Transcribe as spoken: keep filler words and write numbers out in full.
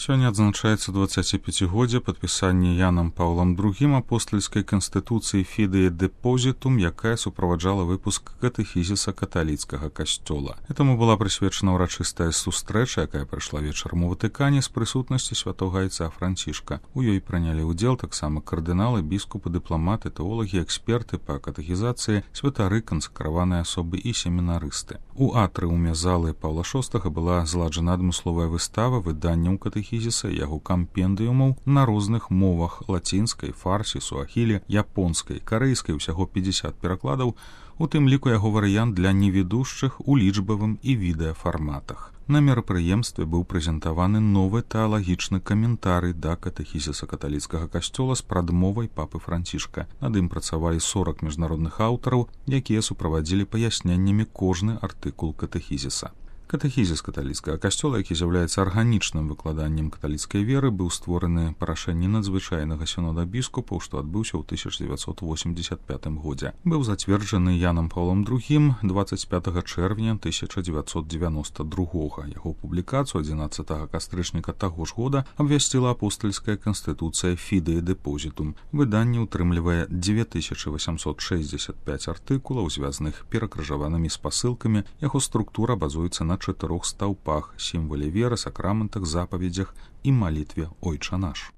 Сёння адзначаецца дваццаціпяцігоддзе падпісання Янам Паўлам другім апостальскай канстытуцыі Фідея Депозітум, якая суправаджала выпуск катэхізіса каталіцкага касцёла. Этаму была прысвечана ўрачыстая сустрэча, якая прайшла вечарам у Ватыкане з прысутнасці святога айца Францішка. У ёй прынялі ўдзел таксама кардыналы, біскупы, дыпламаты, тэолагі, эксперты па катэхізацыі, святары, кансакраваныя асобы і семінарысты. У атрыуме залы Паўла шостага была зладжана адмысловая выстава выданняў катэхізіса і яго кампендыумаў на розных мовах: лацінскай, фарсі, суахілі, японскай, карэйскай, усяго пятьдесят перакладаў, у тым ліку яго варыянт для невідушчых у лічбавым і відэафарматах. На мерапрыемстве быў прэзентаваны новы тэалагічны каментарый да катэхізіса каталіцкага касцёла з прадмовай папы Францішка. Над ім працавалі сорок міжнародных аўтараў, якія суправадзілі паясненнямі кожны артыкул катэхізіса. Катэхізіс каталіцкага касцёла, які з'яўляецца арганічным выкладаннем каталіцкай веры, быў створаны па рашэнні надзвычайнага сінода біскупаў, што адбыўся ў тысяча дзевяцьсот восемьдесят пятым годзе. Быў зацверджаны Янам Паўлом другім дваццаць пятага чэрвеня тысяча дзевяцьсот девяносто другога. Яго публікацыю адзінаццатага кастрычніка таго ж года абвясціла апостальская канстытуцыя Фідея Депозітум. Выданне ўтрымлівае дзве тысячы восемьсот шестьдесят пять артыкулаў, звязаных перакрыжаванымі спасылкамі. Яго структура базуецца на чатырох стаўпах: сімвале веры, сакраментах, запаведзях і малітве «Ойча наш».